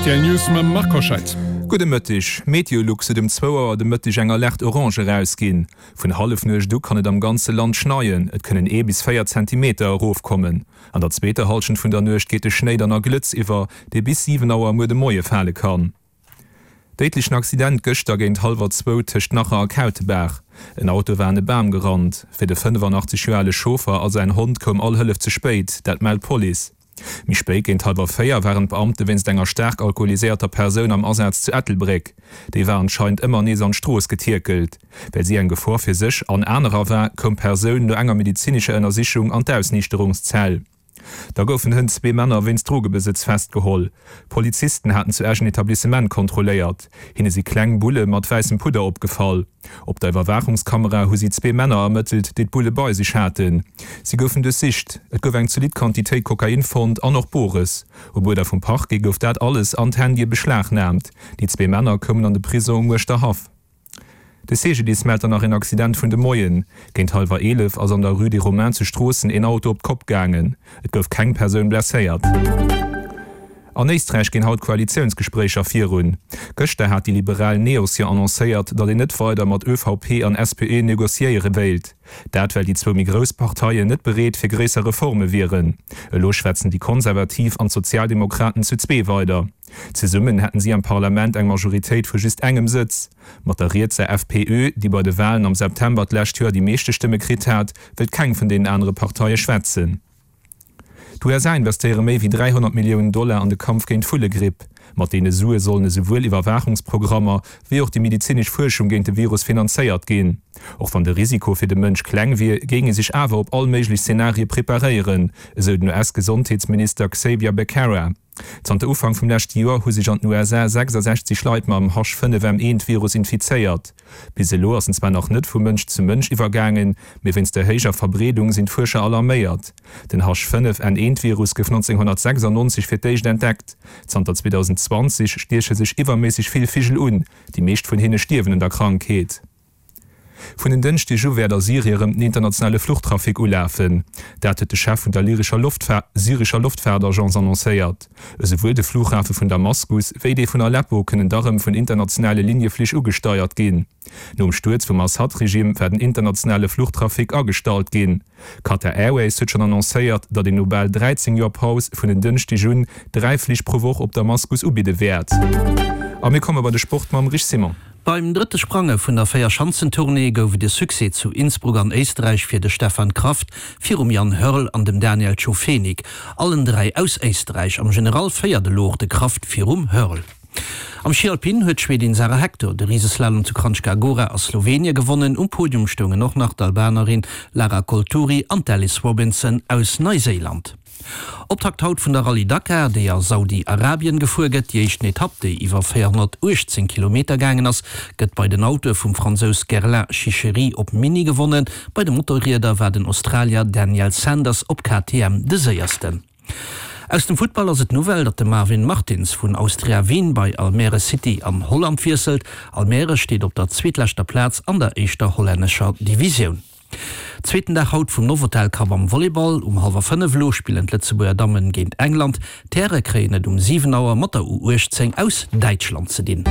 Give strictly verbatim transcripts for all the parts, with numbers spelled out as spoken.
Rtl News mam Marc Hoscheid. Gudde Mëtteg. Meteolux huet um zwou Auer de Mëtteg eng Alerte orange erausginn. Vun Hallefnuecht u kann et am ganze Land schneien, et kënnen ee bis véier Zentimeter erofkommen. An der zweeter Hallschent vun der Nuecht geet de Schnéi dann a Glëtz iwwer, dee bis siwen Auer muer de Moie fale kann. Déidlechen Accident gëschter géint hallwer zwou tëscht Nacher a Kautebaach. En Auto war an e Bam gerannt. Fir de fënnefanachtzeeg Joer ale Chauffer a säin Hond koum all Hëllef ze spéit, dat mellt d'Police. Méi spéit géint hallwer véier waren d'Beamte wéinst enger staark alkoholiséierter Persoun am Asaz zu Ettelbréck. Déi war anscheinend ëmmer nees an d'Strooss getierkelt. Well si eng Gefor fir sech an anerer war, koum d'Persoun no enger medezinescher Ënnersichung an d'Ausniichterungszell. Da goufen hënt zwee Männer wéinst Drogebesëtz festgeholl. Polizisten haten zu Esch en Etablissement kontrolléiert. Hinne si kleng Bulle mat wäissem Pudder opgefall. Op der Iwwerwaachungskamera hu si zwee Männer ermëttelt, déi d'Bulle bei sech haten. Si goufen duerchsicht. Et gouf eng zolidd Quantitéit Kokain fonnt an och Bores. Op Uerder vum Parquet gouf dat alles an d'Handye beschlagnaamt. Déi zwee Männer koumen an de Prisong um Uerschterhaff. De C G D I S mellt dann nach een Accident vun de Moien. Géint hallwer eelef ass an der Rue des Romains zu Stroossen een Auto op d'Kopp gaangen. Et gouf keng Persoun blesséiert. An Éisträich ginn haut d'Koalitiounsgespréicher virun. Gëschter hat déi liberal Neos jo annoncéiert, datt een net weider mat Ö V P an S P Ö negociéiere wéilt. Dat well déi zwou méi grouss Parteien net bereet fir gréisser Reforme wieren. Elo schwätzen déi Konservativ an d'Sozialdemokraten zu zwee weider. Zesummen hätten si am Parlament eng Majoritéit vu just engem Sëtz. Mat der rietser F P Ö, déi bei de Walen am September d'lescht Joer déi meeschte Stëmme kritt hat, wëllt keng vun deenen anere Parteie schwätzen. D'U S A investéiere méi wéi dräihonnert Milliounen Dollar an de Kampf géint d'Vullegripp. Mat deene Sue sollen esouwuel Iwwerwaachungsprogrammer wéi och déi medezinesch Fuerschung géint de Virus finanzéiert ginn. Och wann de Risiko fir de Mënsch kleng wier, géing ee sech awer op all méiglech Zenarie preparéieren, esou den U S-Gesondheetsminister Xavier Becerra. Zanter Ufank vum leschte Joer hu sech an den U S A sechsasechzeg Leit mam H fënnef M eent Virus infizéiert. Bis elo ass en zwar nach net vu Mënsch zu Mënsch iwwergaangen, mee wéinst der héijer Verbreedung sinn d'Fuerscher alarméiert. Den H fënnef N eent Virus gouf nonzénghonnertsechsannonzeg fir d'éischt entdeckt. Zanter zweedausendzwanzeg stieche sech iwwerméisseg vill Vigel un, déi meescht vun hinne stierwen un der Krankheet. Vun en Dënschdeg u wäert a Syrie erëm den internationale Fluchtrafic ulafen. Dat huet de Chef vun der lyrescher syrescher Loftfaartagence annoncéiert. Esouwuel de Flughafe vun Damaskus wéi dee vun Aleppo kënnen da rëm vun internationale Linieflich ugesteiert ginn. Nom Stuerz vum Assad-Regime war den internationale Fluchtrafic agestallt ginn. Qatar Airways huet schonn annoncéiert, datt een no bal dräizéng Joer Paus vun en Dënschdeg un dräi Flich pro Woch op Damaskus ubidde wäert. A mir komme bei de Sport mam Rich Simon. Beim drëtte Sprange vun der Véierschanzentournée gouf et e Succès zu Innsbruck an Éisträich fir de Stefan Kraft virum Jan Hörl an dem Daniel Tschofenig. Allen dräi aus Éisträich. Am General féiert elo och de Kraft virum Hörl. Am Schi Alpin huet d'Schwedin Sara Hector de Riseslalom zu Kranjska Gora a Slowenie gewonnen. Um Podium stoungen och nach d'Albanerin Lara Colturi an d'Alice Robinson aus Neuseeland. Optakt haut vun der Rallye Dakar, déi a Saudi-Arabien gefuer gëtt. Déi éischten Etapp, déi iwwer véierhonnertuechtzéng Kilometer gaangen ass, gëtt bei den Autoe vum Fransous Guerlain Chicherit op Mini gewonnen. Bei de Motorrieder war den Australier Daniel Sanders op K T M de Séiersten. Aus dem Futtball ass et d'Nouvelle, datt de Marvin Martins vun Austria Wien bei Almere City an Holland wiesselt. Almere steet op der zweetleschter Plaz an der éischter hollännescher Divisioun. Zweeten Dag haut vum Novotel Cup am Volleyball. Um hallwer fënnef elo spillen d'Lëtzebuerger Dammen géint England. D'Häre kréien et um siwen Auer mat der U uechtzéng aus Däitschland ze dinn.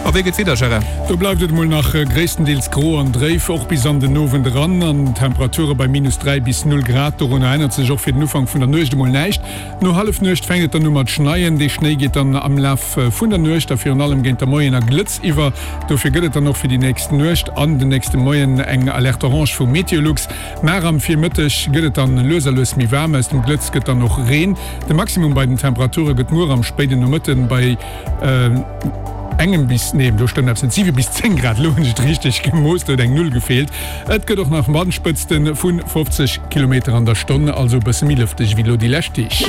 A wéi gëtt d'Wieder, Gérard? Do bleift et mol nach gréisstendeels gro an dréif, och bis an den Owend eran, an Temperature bei minus dräi bis null Grad. Dorunner ännert sech och fir den Ufank vun der Nuecht emol näischt. No Hallefnuecht fänkt et dann u mat schneien. Dee Schnéi geet dann am Laf vun der Nuecht a virun allem géint de Moien a Glëtz iwwer. Dofir gëtt et dann och fir déi nächst Nuecht an den nächste Moien eng Alerte orange vu Meteolux. Mar am Virmëtteg gëtt et dann lues a lues méi waarm, aus dem Glëtz gëtt dann och Reen. De Maximum bei den Temperature gëtt muer am spéiden Nomëtte bei engem bis, nee, do stëmmt eppes net, siwe bis zéng Grad, elo hunn ech et richteg gemooss, do huet eng Null gefeelt. Et gëtt och nach Wandspëtzte vu fofzeg Kilometer an der Stonn, also e bësse méi lëfteg wéi elo déi lescht Deeg.